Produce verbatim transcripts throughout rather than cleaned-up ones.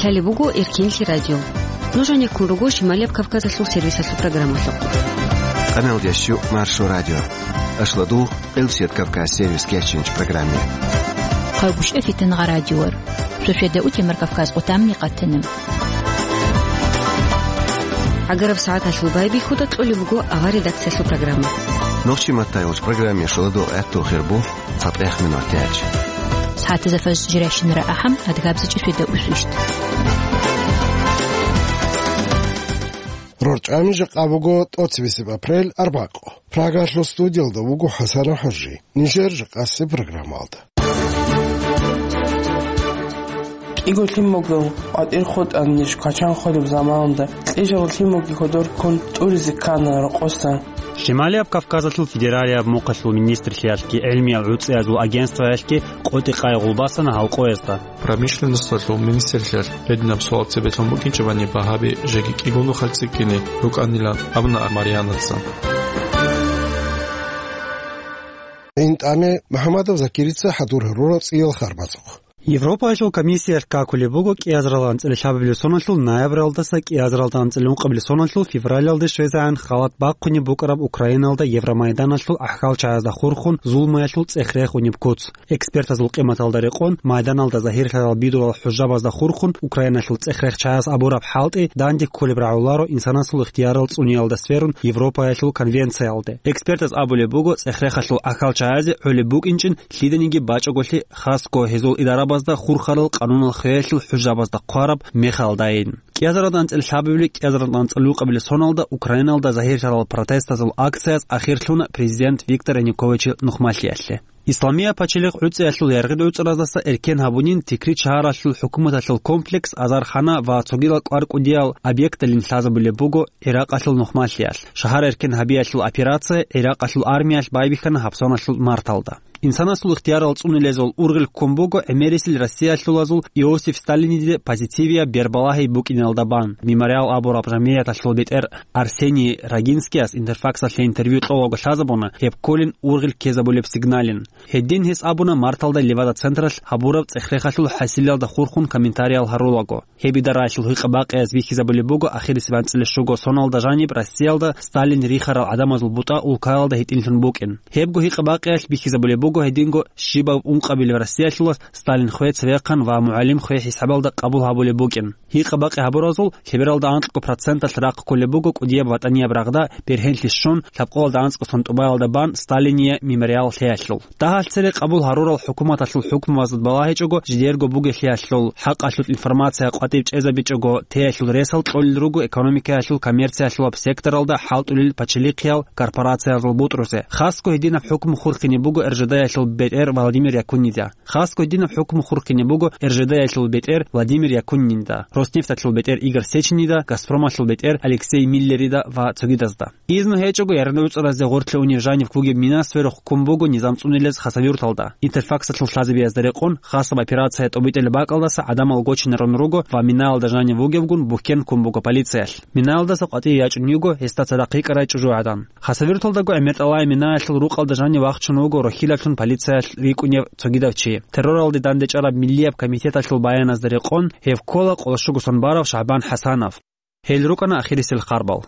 Лъалеб буго Эркенлъи радио. Нуж гьанеккун руго Шималияб Кавказалъул сервисалъул программалъухъ. Къаналдиясчу Маршо радио. Ашладу Элсет Кавказ сервис кечинч программе. Хъагушев Фитнагъа радиор. Суседа утемар Кавказ отамни къатана. Агараб сагӀаталъул байбихьуда кьолеб буго авар редакциялъул программа. Нохчи маттай уч программе шуладу гӀатту хирбу. Цапех минутач. СагӀатазда фажр жиращинара ахӀам, адгабзичӀи среда усвищт. РорчӀами жакъа буго тӀоцебесеб апрель, арбакъо. Прагалъул студиялда вуго ХӀасан ХӀажи. Нижер жакъасе программалда. КӀиго лъимаго къватӀир хутӀанищ квачан холеб заманалда, кьижал лъимаги кодор ккун тӀуризе ккана рокъоса. Шималияб Кавказалъул федералияб мухъалъул министрлъиялъги гӀилмиял гӀуцӀиязул агентстваялъги къотӀи-къай гъулбасана гьалкъоязда. Промышленносталъул министрлъиялъ гьединаб суал цебе лъун букӀинчӀебани багьаби жеги кӀигун нухалъ цӀикӀкӀине рукӀанилан абуна Марьянаца. ИнтӀаме МухӀаммадов Закирица хӀадур гьарура цӀиял харбазухъ. Европаялъул комиссиялъ какулеб буго кӀиазаралда анцӀила лъабабилеб соналъул ноябралдаса кӀиазаралда анцӀила ункъабилеб соналъул февралалде щвезегӀан халат бахъунеб букӀараб Украиналда Евромайданалъул гӀахьалчагӀазда хурхун зулмаялъул цӀех-рех унеб куц. Экспертазул къиматалда рекъон, майданалда загьирлъарал бидулал хӀужабазда хурхун Украиналъул цӀех-рехчагӀаз абураб хӀалтӀи данде кколеб рагӀуларо инсанасул ихтиярал цӀуниялда сверун Европаялъул конвенциялде. Экспертаз абулеб буго, цӀех-рехалъул гӀахьалчагӀазе гӀолеб букӀинчӀин лъиданиги бачӀаголъи, хасго гьезул идарабазда хурхарал къанунал хвеялъул хӀужабазда хъвараб мехалдайин. КӀиазаралда анцӀила лъабабилеб, кӀиазаралда анцӀила ункъабилеб соналда Украиналда загьирлъарал протестазул акцияз ахирлъуна президент Виктор Януковичил нухмалъиялъе. Исламияб пачалихъ гӀуцӀиялъул яргъи гӀуцӀраздаса эркен гьабунин Тикрит шагьаралъул хӀукуматалъул комплекс, азархана ва цогидал кӀвар-кӀудиял объекталин лъазабулеб буго ГӀиракъалъул нухмалъиялъ. Шагьар эркен гьабиялъул операция ГӀиракъалъул армиялъ байбихьана гьабсаналъул марталда. Инсанасул ихтиярал цӀунилезул ургъел ккун буго гӀемерисел Россиялъулазул Иосиф Сталиниде позитивияб бербалагьи букӀиналда бан. Мемориал абураб жамгӀияталъул бетӀер Арсений Рогинскияс Интерфаксалъе интервью кьолаго лъазабуна гьеб кколин ургъел ккезабулеб сигналин. Гьедин гьес абуна марталда Левада централъ гьабураб цӀех-рехалъул хӀасилалда хурхун комментариял гьарулаго. Гьеб идараялъул гьикъа-бакъиялъ бихьизабулеб буго ахирисеб анцӀила щуго соналда жаниб Россиялда Сталин рихарал гӀадамазул бутӀа улкаялда гьитӀинлъун букӀин. Гьебго гьикъа-бакъиялъ бихьизабулеб буго гьединго щибаб ункъабилеб Россиялъулас Сталин хве цевехъан ва мугӀалим хве хӀисабалда къабул гьабулеб букӀин. Гьикъа-бакъи гьабуразул лъебералда анкьго проценталъ рахъ кколеб буго кӀудияб ватӀанияб рагъда бергьенлъи щун, лъабкъоялда анцӀго сон тӀубаялда бан Сталиния мемориал лъеялъул. Дагьалъ цере къабул гьарурал хӀукуматалъул хӀукму вазад балагьичӀого жидерго бугелъиялъул, хӀакъалъулъ информация къватӀив чӀезабичӀого, теялъул ресал кьолел руго экономикаялъул коммерциялъулаб секторалда хӀалтӀулел пачалихъиял корпорациязул бутӀрузе. Хасго гьединаб хӀукму хурхине буго РЖД-ялъул бетӀер Владимир Якуннида. Хасго гьединаб хӀукму хурхине буго РЖД-ялъул бетӀер Владимир Якуннида, Роснефталъул бетӀер Игорь Сеченида, Газпромалъул бетӀер Алексей Миллерида ва цогидазда. Изну гьечӀого яргъи гӀуцӀразе гъорлъе унев жанив вугеб мина сверухъ ккун буго низам цӀунилез Хасавюрталда. Интерфаксалъул лъазабиязда рекъон, хасаб операция тӀобитӀулеб бакӀалдаса гӀадамал гочинарун руго ва минаялда жанив вугевгун бухьен ккун буго полициялъ. Минаялдаса къватӀие ячӀун йиго гьесда цадахъ йикӀарай чӀужугӀадан. Хасавюрталдаго гӀемер тӀалай минаялъул рукъалда жанив вахчун вуго рохьилаблъун полициялъ рикӀкӀунев цогидав чи. Терроралде дандечӀараб миллияб комитеталъул баяназда рекъон, гьев ккола къоло щуго сон барав ШагӀбан ХӀасанов. Гьел рукӀана ахирисел харбал.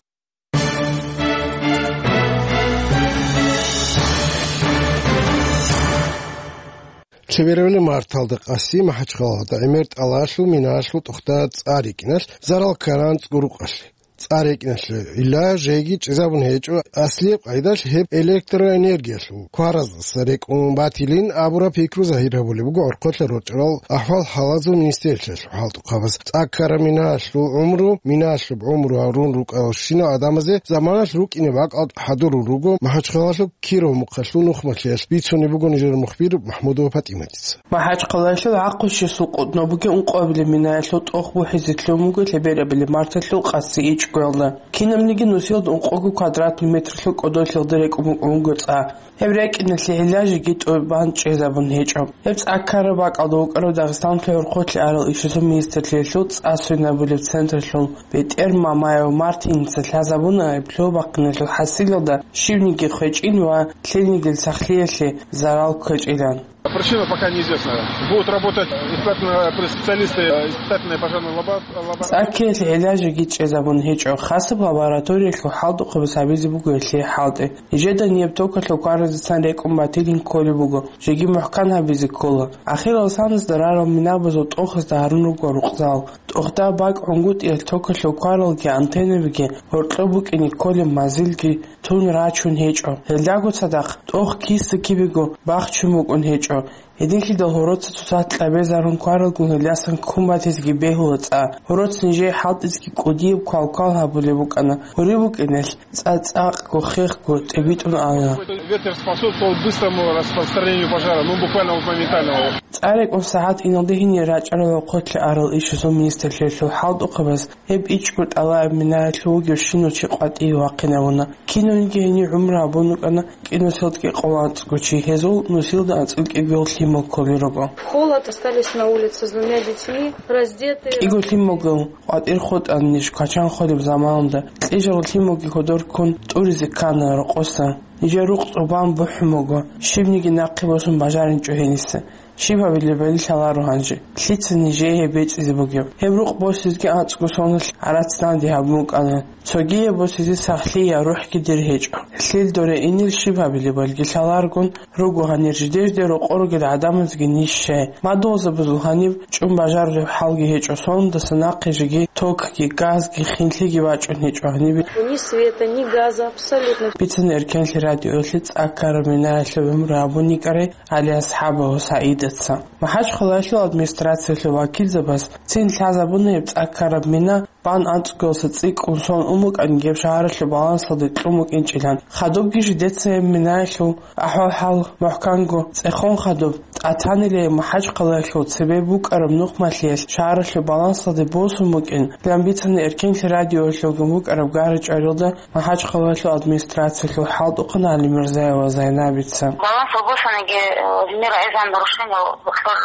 Лъеберабали марталда къаси МахӀачхъалалда гӀемер тӀалалъул минаялъул тохтаб цӀар рикӀкӀиналъ зарал ккаран цӀкӀкӀурукъалъе. ЦӀар рикӀкӀиналъе гӀилла жеги чӀезабун гьечӀо, аслияб къайдалъ гьеб электроэнергиялъул квараздаса рекӀун батилин абураб пикру загьир гьабулеб буго гӀорхъолъа рорчӀарал ахӀвал-хӀалазул министерствоялъул хӀалтӀухъабаз. ЦӀа ккараб минаялъул гӀумру, минаялъуб гӀумру гьарун рукӀаралщинал гӀадамазе заманалъ рукӀине бакӀалда хӀадурун руго МахӀачхъалалъуб Киров мухъалъул нухмалъиялъ, бицунеб буго нижер мухбир МахӀмудова ПатӀиматица. МахӀачхъалалъул гӀакъуссисул къотӀнобги ункъоабилеб минаялъул тӀох бухӀизе лъун буго лъеберабали марталъул къаси ичӀгоялда. Кинабниги нусиялда ункъого квадратный метрлъул кӀодолъиялда рекӀун букӀун буго цӀа. Гьеб рекӀиналъе гӀилла жеги тӀубан чӀезабун гьечӀо. Гьеб цӀа ккараб бакӀалда вукӀарав Дагъистаналъул гӀорхъолъи арал ишазул министрлъиялъул цӀа свинабулеб централъул бетӀер Мамаев Мартиница лъазабуна гьеб лъугьа бахъиналъул хӀасилалда щибниги хвечӀин ва лъилнигил сахлъиялъе зарал ккечӀилан. Причина пока неизвестна. Будут работать испытательные специалисты, э, испытательные пожарные лаба-, лаба- ЦӀаккиялъе гӀилажиги чӀезабун гьечӀо, хасаб лабораториялъул хӀалтӀухъабаз гьабизе буго гьелъие хӀалтӀи. Нижеда ниб токалъул кваразецан рекӀун батилин кколеб буго, жеги мухӀкан гьабизе ккола. Ахирал саназда рарал минабазул тӀохазда гьарун руго рукъзал. ТӀохда бакӀ гӀунгутӀиялъ токалъул кваралги антеннабиги, гьоркьоб букӀине кколеб мазилги тун рачун гьечӀо. Гьелдаго цадахъ тӀох киса кибего бахчун букӀун гьечӀо. Гьединлъидал гьороца цоцазда кьабезарун кваралгун гьелдасан ккун батизеги бегьула цӀа. Гьороца нижее хӀалтӀизеги кӀудияб квалквал гьабулеб букӀана. Гьури букӀиналъ цӀа-цӀакъго, хехго тӀибитӀун ана. Ветер способствовал быстрому распространению пожара, ну, буквально вот моментальному. ЦӀа рекӀун сагӀат иналде гьенир рачӀарал рахъалъе арал ишазул министрлъиялъул хӀалтӀухъабаз гьеб ичӀго тӀалаб минаялъул вугев щинав чи къватӀиве вахъинавуна. Кинавниги гьенив гӀумру гьабун рукӀана кӀинусилда кӀикъоялда анцӀго чи, гьезул нусилда анцӀила кӀигоял лъимал кколел руго. В холод остались на улице с двумя детьми, раздетые. КӀиго лъималгун къватӀир хутӀана ниж квачан холеб заманалда, кьижал лъималги кодор ккун тӀуризе ккана рокъоса. Нижер рукъ цӀубан бухӀун буго, щибниги нахъе босун бажаринчӀо гьениса. Щиб гьабилебали лъаларо гьанже? Лъица нижее гьеб бецӀизе бугеб? Гьеб рукъ босизеги анцӀго соналъ гӀарац данде гьабун букӀана. Цогияб босизе сахлъи я рухӀги дир гьечӀо. Лъил доре инел щиб гьабилебалги лъаларгун руго гьанир жидер-жидер рокъор ругел гӀадамазги ниж щай. Мадугьалзабазул гьаниб чӀун бажарулеб хӀалги гьечӀо, соналдаса нахъе жеги токги, газги, хинлъиги бачӀун гьечӀо гьанибе. Ни света, ни газа, абсолютно. Бицана Эркенлъи радиоялъе цӀа ккараб минаялъул гӀумру гьабун йикӀарай ГӀалиасхӀабов СагӀидаца. МахӀачхъалаялъул администрациялъул вакилзабаз цин лъазабуна гьеб цӀа ккараб мина бан анцӀгоялдаса цӀикӀкӀун сон ун букӀаниги гьеб шагьаралъул балансалде кьун букӀинчӀилан. Хадубги жидеца гьеб минаялъул ахӀвал-хӀал мухӀканго цӀехон хадуб тӀатанилан МахӀачхъалаялъул цебе букӀараб нухмалъиялъ шагьаралъул балансалде босун букӀин, лъан бицана Эркенлъи радиоялъулгун букӀараб гара-чӀварилда МахӀачхъалаялъул администрациялъул хӀалтӀухъан ГӀалимурзаева Зайнабица. Балансал босаниги, э, гьенир гӀезан нарушение бахъал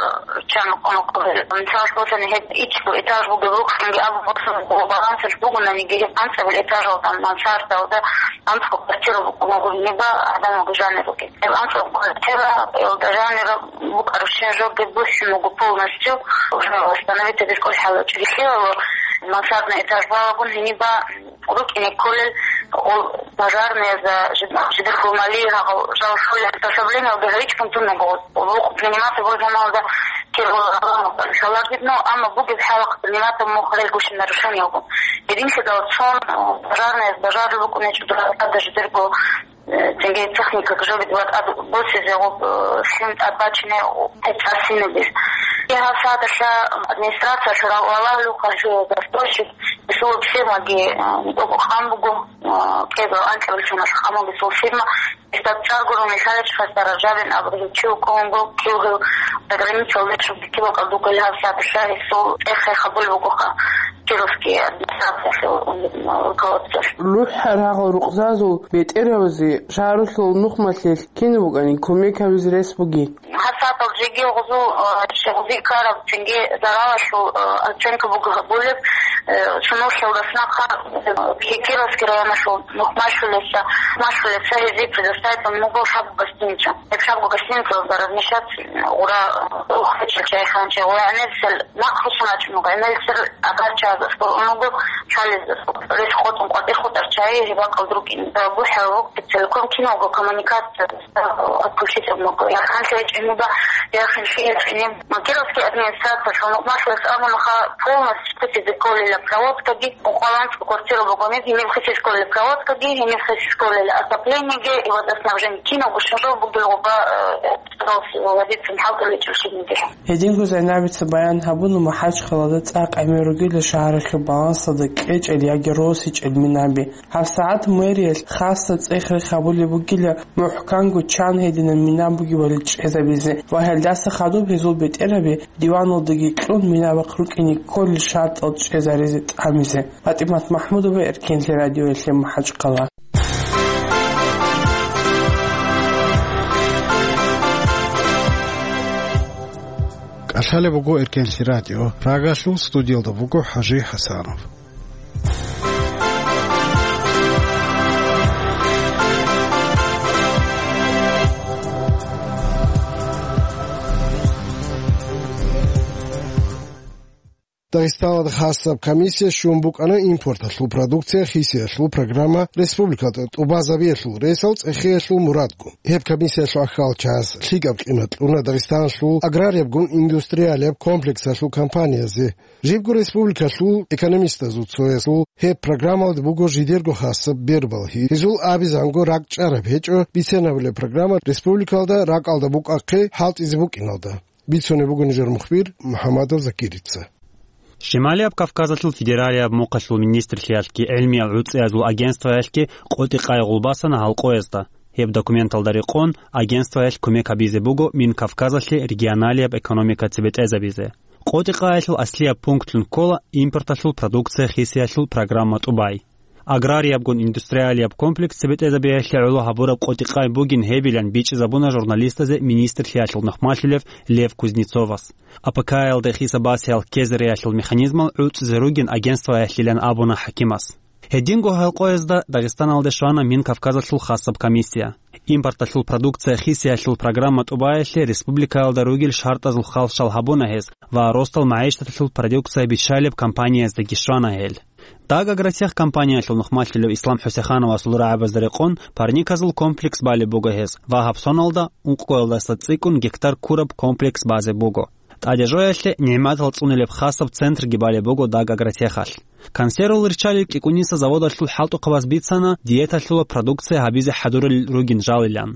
чан къонокъ. Мисалалъ босани гьеб ичӀго этаж бугеб рукъанги абун босун балансалъ бугонаниги гьеб анцӀабил этажалда, мансардалда анцӀго квартира букӀун буго, гьеб гӀадамалги жанир ругел. Гьеб анцӀго квартира, илда жанир букӀарабщин жоги бухӀун буго полностью, уже восстановить гьабизе кӀолеб хӀал гьечӀо. Лъилало мансардный этаж балагун гьениба рукӀине кколел, ол пожарныязда жид-, жидер гьумали гьагъал жал щолел, приспособлениялги гьавичӀун тун буго. Вукъ приниматор бугеб заманалда кир-, шаларгидну, амма бугеб хӀалахъ приниматор мухъ релгущин нарушениялгун. Гьединлъидал цон, э, пожарныяз бажарулеб букӀунечӀо дуратада жидерго, э, цинги техника жоги дуратада босизе гъоб, э, лъим тӀад бачине гьеб цӀасинабиз. Гьаб сагӀаталъа администрациялъул ра-, валагьулев хъалъуе застройщик, гьесул фирмаги, э, нитӀого хъан буго, э, кӀезал анкьабилеб соналъ хъан буго гьесул фирма. Гьесда цӀар гурони лъалеб чи хасда Ражабин абурав чи вукӀун вуго, кив гьев заграницалде щвараб кибал кӀалдуго гьаб сагӀаталъа гьесул цӀех-хех гьабулеб бугоха Кировский администрациялъул руководствоялъ. РухӀ рагъал рукъзазул бетӀералъе шагьаралъул нухмалъе кинаб букӀанин кумек гьабизе рес бугин? Гьаб сагӀатал жеги гъузул, э, гъузи ккараб цинги заралалъул, э, оценка буго гьабулеб, э, цо нухалдаса нахъа, э, Кировский районалъул нухмалъулеца, нухмалъулеца гьезие предоставить буго шабгу гостиница. Гьеб шабгу гостиницалда размещать гъура, э, ухвечӀел чайханчи, гъура гӀемерисел нахъ руссун вачӀун вуго, гӀемерисел агарчаздаса ун вуго, лъалезда рес къотӀун къватӀир хутӀар чай, гьеб бакӀалда рукӀин. БухӀараб буго, целиком киналго коммуникация отключить абун буго. Гьанже гьечӀеб гьеб яхъин щиб гьечӀеб. Кировский администрациялъул нухмалъулес абунаха полностью хисизе кколила проводкаги, ункъоялда анцӀго квартира буго гьениб, гьениб хисизе кколила проводкаги, гьениб хисизе кколила отоплениеги, и водоснабжение, киналго щиб жо бугеб гъоба, э, вводиться хӀалтӀулел гьечӀеб щибниги. Гьединго Зайнабица баян гьабуна МахӀачхъалада цӀакъ гӀемер ругила шагьаралъул балансалда кьечӀел яги росичӀел минаби. ГьабсагӀат мэриялъ хасаб цӀех-рех гьабулеб бугила мухӀканго чан гьединаб мина бугебали чӀезабизе ва гьелдаса хадуб гьезул бетӀералъе диваналдаги кьун минабахъ рукӀине кколел шартӀал чӀезаризе тӀамизе. ПатӀимат МахӀмудова, Эркенлъи радиоялъе, МахӀачхъала. КӀалъалеб буго Эркенлъи радио. Прагалъул студиялда буго ХӀажи ХӀасанов. Дагъистаналда хасаб комиссия щун букӀана импорталъул продукция хисиялъул программа республикалда тӀубазабиялъул ресал цӀехиялъул мурадгун. Гьеб комиссиялъул ахӀалчагӀаз лъикӀаб къимат кьуна Дагъистаналъул аграриябгун индустриалияб комплексалъул компаниязе. Жибго республикалъул экономистазул цоясул гьеб программалда буго жидерго хасаб бербалги. Гьезул абизанго ракӀчӀараб гьечӀо биценабулеб программа республикалда ракӀалда букӀахъе хӀалтӀизе букӀиналда. Бицунеб буго нижер мухбир МухӀаммадов Закирица. Шималияб Кавказалъул федералияб мухъалъул министрлъиялъги гӀилмиял гӀуцӀиязул агентстваялъги къотӀи-къай гъулбасана гьалкъоязда. Гьеб документалда рекъон, агентстваялъ кумек гьабизе буго Минкавказалъе регионалияб экономика цебетӀезабизе. КъотӀи-къаялъул аслияб пунктлъун ккола импорталъул продукция хисиялъул программа тӀубай. Аграриябгун индустриалияб комплекс цебетӀезабиялъе гӀоло гьабураб къотӀи-къай бугин гьебилан бичӀчӀизабуна журналистазе министрлъиялъул нухмалъулев Лев Кузнецовас. АПК-ялда хисаб-басиялъ ккезариялъул механизмал гӀуцӀизе ругин агентстваялъилан абуна хӀакимас. Гьединго гьалкъоязда Дагъистаналде щвана Минкавказалъул хасаб комиссия. Импорталъул продукция хисиялъул программа тӀубаялъе республикаялда ругел шартӀазул халщал гьабуна гьез ва росдал магӀишаталъул продукция биччалеб компанияздаги щвана гьел. Дагагротех компаниялъул нухмалъулев Ислам ХӀусехановасул рагӀабазда рекъон парниказул комплекс балеб буго гьез ва гьаб соналда ункъоялдаса цӀикӀкӀун гектар ккураб комплекс базе буго. ТӀадежоялъе нигӀматал цӀунилеб хасаб центрги балеб буго Дагагротехалъ. Консервал риччалил кӀикӀуниса заводалъул хӀалтӀухъабаз бицана диеталъула продукция гьабизе хӀадурал ругин жалилан.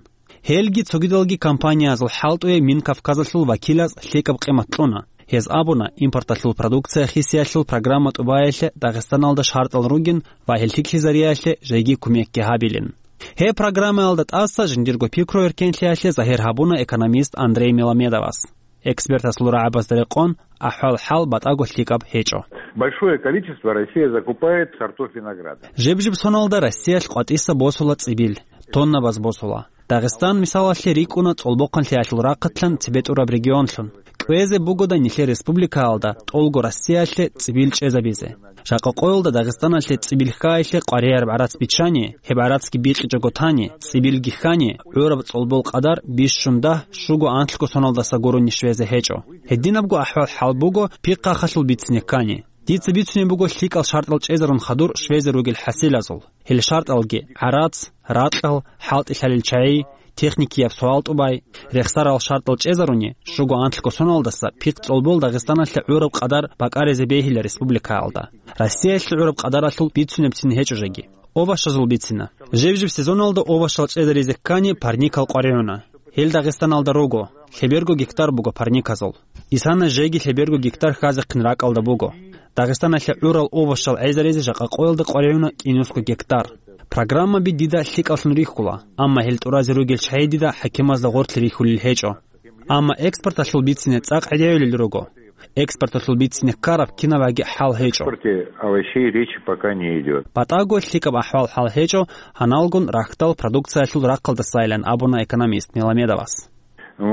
Гьелги цогидалги компаниязул хӀалтӀуе Минкавказалъул вакилаз лъикӀаб къимат кьуна. Гьез абуна, импорталъул продукция хисиялъул программа тӀубаялъе Дагъистаналда шартӀал ругин ва гьел лъикӀлъизариялъе жеги кумекги гьабилин. Гьеб программаялда тӀаса жиндирго пикру эркенлъиялъе загьир гьабуна экономист Андрей Меламедовас. Экспертасул рагӀабазда рекъон, ахӀвал-хӀал батӀаго лъикӀаб гьечӀо. Большое количество Россия закупает сортов винограда. Жеб-жеб соналда Россиялъ къватӀиса босула цӀибил, тоннабаз босула. Дагъистан мисалалъе рикӀкӀуна цӀолбохъанлъиялъул рахъатлъан цебетӀураб регионлъун. КӀвезе бугода нилъер республикаялда тӀолго Россиялъе цӀибил чӀезабизе. Жакъа къоялда Дагъистаналъе цӀибил хьайилъе къваригӀараб гӀарац биччани, гьеб гӀарацги бикьичӀого тани, цӀибилги хьани, гӀураб цӀолбол къадар бищун дагь, щуго анлъго соналдаса гурони щвезе гьечӀо. Гьединабго ахӀвал-хӀал буго пихъахалъул бицине ккани. Дица бицунеб буго лъикӀал шартӀал чӀезарун хадур щвезе ругел хӀасилазул. Гьел шартӀалги: гӀарац, ракьал, хӀалтӀи лъалел чагӀи, техникияб суал-тӀубай, рехсарал шартӀал чӀезаруни, щуго анлъго соналдаса пихъ цӀолбол Дагъистаналъе гӀураб къадар бакӀаризе бегьила республикаялда. Россиялъе гӀураб къадаралъул бицунебцин гьечӀо жеги. Овощазул бицина. Жеб-жеб сезоналда овощал чӀезаризе ккани парникал къваригӀуна. Гьел Дагъистаналда руго, лъеберго гектар буго парниказул. Исана жеги лъеберго гектар хьазехъин ракӀалда буго. Дагъистаналъе гӀурал овощал гӀезаризе жакъа къоялда къваригӀуна кӀинусго гектар. Программаби дида лъикӀаллъун рихьула, амма гьел тӀуразе ругел чагӀи дида хӀакимазда гъорлъ рихьулел гьечӀо. Амма экспорталъул бицине цӀакъ гӀедегӀулел руго. Экспорталъул бицине ккараб кинабаги хӀал гьечӀо. Экспорте овощей речи пока не идёт. БатӀаго лъикӀаб ахӀвал-хӀал гьечӀо гьаналгун рахьдал продукциялъул рахъалдасайилан абуна экономист Меламедовас. М,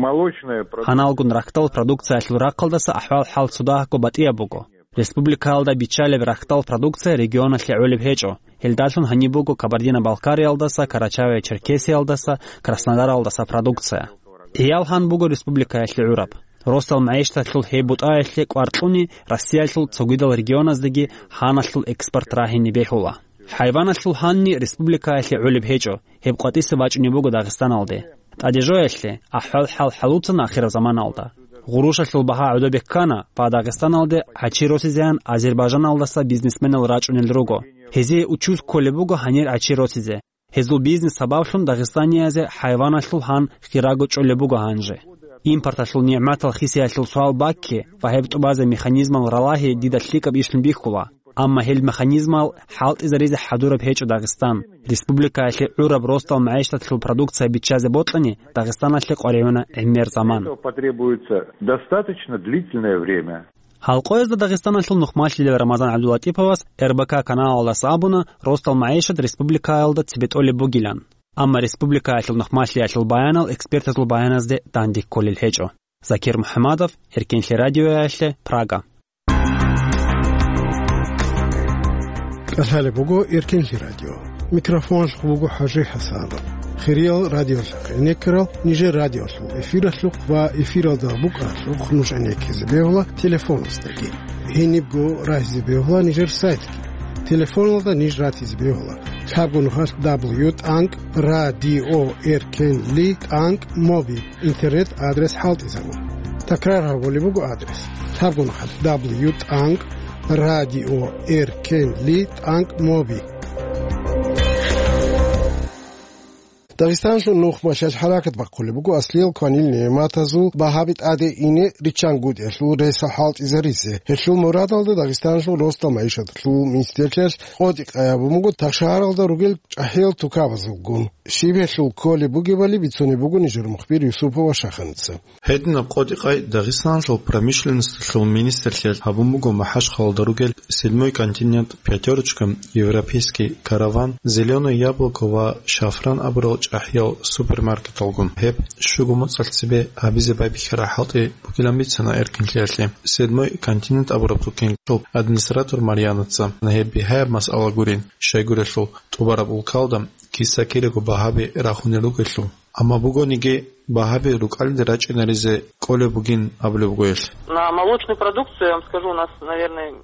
молочная продукция. Гьаналгун рахьдал продукциялъул рахъалдаса ахӀвал-хӀал цодагьго батӀияб буго. Республикаялда биччалеб рахьдал продукция регионалъе гӀолеб гьечӀо. Гьелдалъун гьаниб буго Кабардино-Балкариялдаса, Карачаево-Черкесиялдаса, Краснодаралдаса продукция. ГӀиял гьан буго республикаялъе гӀураб. Росдал магӀишаталъул гьеб бутӀаялъе кӀвар кьуни, Россиялъул цогидал регионаздаги гьаналъул экспорт рагьине бегьула. ХӀайваналъул гьанни республикаялъе гӀолеб гьечӀо, гьеб къватӀиса бачӀунеб буго Дагъистаналде. ТӀадежоялъе, ахӀвал-хӀал хӀалуцана ахираб заманалда. Гъурущалъул багьа гӀодобе ккана ва Дагъистаналде гӀачи росизегӀан Азербайжаналдаса бизнесменал рачӀунел руго. Гьезие учуз кколеб буго гьанир гӀачи росизе. Гьезул бизнес сабаблъун дагъистаниязе хӀайваналъул гьан хирого чӀолеб буго гьанже. Импорталъул нигӀматал хисиялъул суал бакке ва гьеб тӀубазе механизмал ралагьи дида лъикӀаб ишлъун бихьула. Амма гьел механизмал хӀалтӀизаризе хӀадураб гьечӀо Дагъистан. Республикаялъе гӀураб росдал магӀишаталъул продукция биччазе бокьани, Дагъистаналъе къваригӀуна гӀемер заман. Этого потребуется достаточно длительное время. Гьалкъоязда Дагъистаналъул нухмалъилел Рамазан ГӀабдуллатӀиповас Р Б К каналалдаса абуна, росдал магӀишат республикаялда цебетӀолеб бугилан. Амма республикаялъул нухмалъиялъул баянал экспертазул баяназде данде кколел гьечӀо. Закир МухӀамадов, Эркенлъи радиоялъе, Прага. КӀалъалеб буго Эркенлъи радио. Микрофоналъухъ буго ХӀажи ХӀасанов. Хириял радиолъухъ гӀенеккарал нижер радиолъул эфиралъухъ ва эфиралда букӀаралъухъ нуж гӀенеккизе бегьула телефоназдаги. Гьенибго рагьизе бегьула нижер сайтги. Телефоналда ниж ратизе бегьула: лъабго нухалъ дабл ю тӀанкӀ радио эркенли тӀанкӀ моби интернет адрес хӀалтӀизабун. Такрар гьабулеб буго адрес: лъабго нухалъ дабл ю тӀанкӀ радио эркенли тӀанкӀ моби. Дагъистаналъул нухмалъиялъ хӀаракат бахъулеб буго аслиял кванил нигӀматазул багьаби тӀаде ине риччанкӀутӀиялъул ресал хӀалтӀизаризе. Гьелъул мурадалда Дагъистаналъул росдал магӀишаталъул министрлъиялъ къотӀи-къай гьабун буго тахшагьаралда ругел чӀахӀиял тукабазулгун. Щиб гьелъул кколеб бугебали бицунеб буго нижер мухбир Юсупова Шаханица. Гьединаб къотӀи-къай Дагъистаналъул промышленносталъул министрлъиялъ гьабун буго МахӀачхъалалда ругел «Седьмой континент», «Пятерочка», «Европейский караван», «Зелёное яблоко» ва «Шафран» абурал чӀахӀиял супермаркеталгун. Гьеб щуго моцӀалъ цебе гьабизе байбихьараб хӀалтӀи бугилан бицана эркенлъиялъе. «Седьмой континент» абураб тукенлъул администратор Марьянаца гьеб бигьаяб масъала гурин, щайгурелъул тӀубараб улкалда киса-кираго багьаби рахунел ругелъул. Амма бугониги, багьаби рукӀалде рачӀинаризе кӀолеб бугин абулеб буго гьелъ. На молочную продукцию, я вам скажу, у нас, наверное,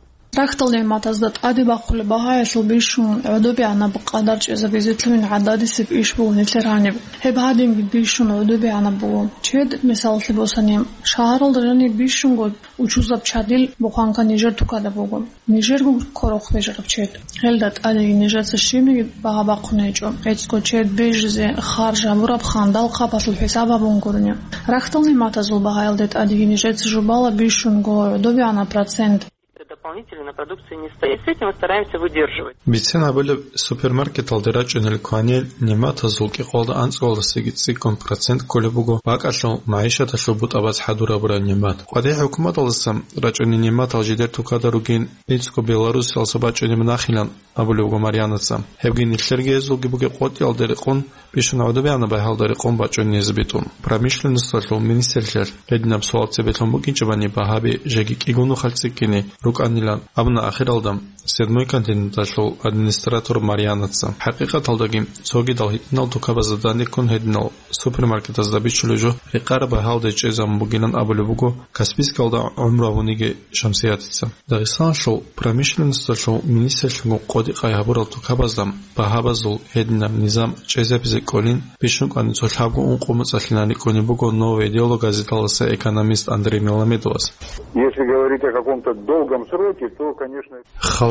Рахьдал нигӀматазда тӀаде бахъулеб багьаялъул бищун гӀодобегӀанаб къадар чӀезабизе лъугьин гӀададисеб иш буго нилъер гьаниб. Гьеб гьадинги бищун гӀодобегӀанаб буго. Чед, мисаллъи босани, шагьаралда жаниб бищунго учузаб чадил бухъанка нижер тукада буго. Нижерго ккорохъ бижараб чед. Гьелда тӀадеги нижеца щибниги багьа бахъун гьечӀо. ГӀицӀго чед бижизе харж гьабураб хандал хъапалъул хӀисаб гьабун гурони. Рахьдал нигӀматазул багьаялде тӀадеги нижеца жубала бищунго гӀодобегӀанаб процент. Дополнительно на продукции не стоит. С этим мы стараемся выдерживать. Бицен абулеб, супермаркеталде рачӀунел кванил нигӀматазул кӀикъоялда анцӀгоялдасаги цӀикӀкӀун процент кколеб буго бакӀалъул магӀишаталъул бутӀа-бацӀ хӀадур гьабураб нигӀмат. КъватӀи хӀукуматалдасан рачӀунел нигӀматал жидер тукада ругин, ГӀицӀго Беларусиялдаса бачӀунеб нахилан абулеб буго Марьянаца. Гьебги нилъерги гьезулги бугеб къотӀиялда рекъон, бищун гӀодобегӀанаб багьаялда рекъон бачӀунеб бугин. Промышленносталъул министрлъиялъ гьединаб суал цебе лъун букӀинчӀебани багьаби жеги кӀигун нухалъ цӀикӀкӀине рукӀанилан абуна ахиралда «Седьмой континенталъул» администратор Марьянаца. ХӀакъикъаталдаги, цогидал гьитӀинал тукабазда данде ккун гьединал супермаркетазда бичулеб жо рекъараб багьаялде чӀезабун бугилан абулеб буго Каспийскалда гӀумру гьабуниги Шамсиятица. Дагъистаналъул промышленносталъул министрлъунго къотӀи-къай гьабурал тукабазда багьабазул гьединаб низам чӀезабизе кӀолин, бищун кӀванин цо лъабго-ункъо моцӀалъилан рикӀкӀунеб буго «Новое дело» газеталдаса экономист Андрей Меламедовас. Если говорить о каком-то долгом сроке, то, конечно,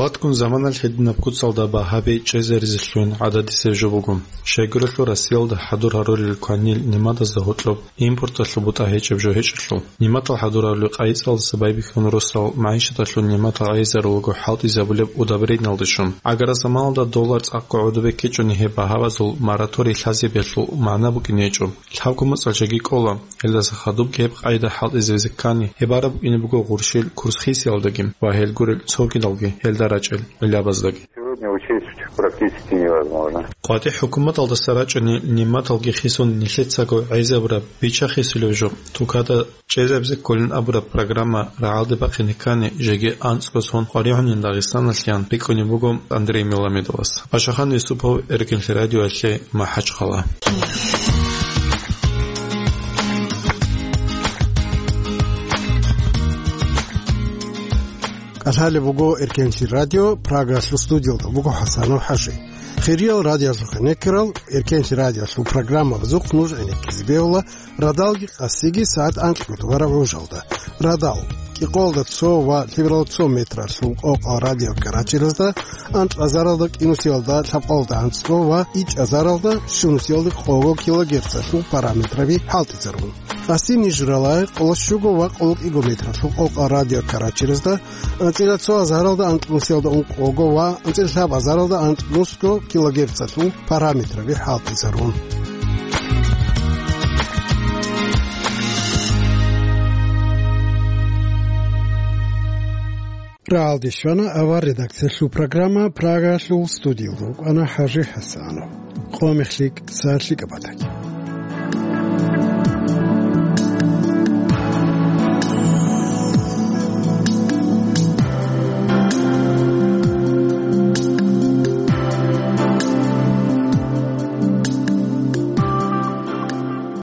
Халатгун заманалъ гьединаб куцалда багьаби чӀезаризе лъугьин гӀададисеб жо буго. Щайгурелъул Россиялда хӀадур гьарулел кванил нигӀматазда гьоркьоб импорталъул бутӀа гьечӀеб жо гьечӀелъул, нигӀматал хӀадур гьарулел къайи-цӀалдаса байбихьун росал магӀишаталъул нигӀматал гӀайизарулего хӀалтӀизабулеб удабриналде щун. Агара заманалда доллар цӀакъго гӀодобе ккечӀони гьеб багьабазул мораторий лъазабиялъул магӀна букӀине гьечӀо. Лъабго моцӀалъ жеги кӀола, гьелдаса хадубги гьеб къайда хӀалтӀизабизе ккани, гьеб бараб букӀине буго гъурщил курс хисиялдаги ва гьел гурел цогидалги гьелда рачӀел гӀиллабаздаги. Сегодня учесть практически невозможно. КъватӀи хӀукуматалдаса рачӀунел нигӀматалги хисун нилъецаго гӀезабураб бича-хисулеб жо, тукада чӀезабизе кколин абураб программа рагӀалде бахъине ккани, жеги анцӀго сон къваригӀунин Дагъистаналъян рикӀкӀунеб буго Андрей Меламедовас. Ашахан Юсупов, Эркенлъи радиоялъе, МахӀачхъала. КӀалъалеб буго Эркенлъи радио, Прагалъул студиялда буго ХӀасанов ХӀажи. Хириял радиоялъухъ гӀенеккарал Эркенлъи радиоялъул программабазухъ нуж гӀенеккизе бегьула радалги къасиги сагӀат анкьго тӀубараб гӀужалда. Радал: кӀикъоялда цо ва лъабго метралъул къокъал радио карачелазда, анкьазаралда кӀинусиялда лъабкъоялда анцӀго ва ичӀазаралда щунусиялда къого килогерцалъул параметраби хӀалтӀизарун. Къаси ниж рала къоло щуго ва къоло кӀиго метралъул къокъал радио карачелазда, анцӀила цо азаралда анкьнусиялда ункъого ва анцӀила лъаб азаралда анкьнусго килогерцалъул параметраби хӀалтӀизарун. Рагьалде щвана авар редакциялъул программа, Прагалъул студиялда вукӀана ХӀажи ХӀасанов. Къо-мех лъикӀ, сагӀат лъикӀаб батаги.